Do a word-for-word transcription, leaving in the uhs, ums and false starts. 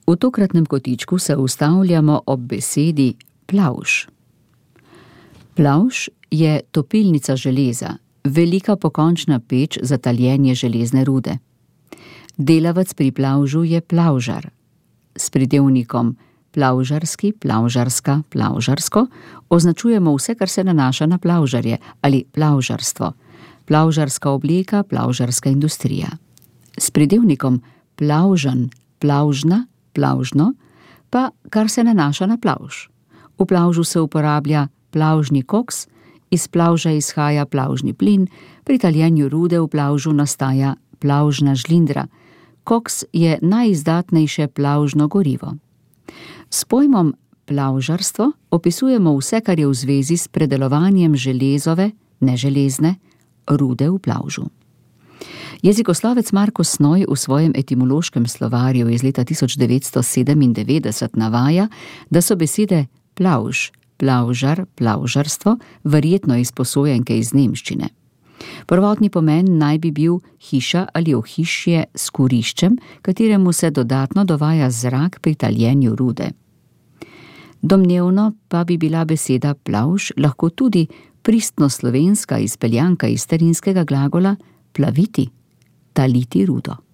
V tokratnem kotičku se ustavljamo ob besedi plavž. Plavž je topilnica železa, velika pokončna peč za taljenje železne rude. Delavec pri plavžu je plavžar. S pridevnikom plavžarski, plavžarska, plavžarsko označujemo vse, kar se nanaša na plavžarje ali plavžarstvo, plavžarska obleka, plavžarska industrija. S pridevnikom plavžan, plavžna, plavžno pa kar se nanaša na plavž. V plavžu se uporablja plavžni koks, iz plavža izhaja plavžni plin, pri taljenju rude v plavžu nastaja plavžna žlindra. Koks je najizdatnejše plavžno gorivo. S pojmom plavžarstvo opisujemo vse, kar je v zvezi s predelovanjem železove, neželezne, rude v plavžu. Jezikoslovec Marko Snoj v svojem etimološkem slovarju iz leta tisoč devetsto sedemindevetdeset navaja, da so besede plavž, plavžar, plavžarstvo verjetno izposojenke iz nemščine. Prvotni pomen naj bi bil hiša ali ohišje s kuriščem, kateremu se dodatno dovaja zrak pri taljenju rude. Domnevno pa bi bila beseda plavž lahko tudi pristno slovenska izpeljanka iz starinskega glagola plaviti, taliti rudo.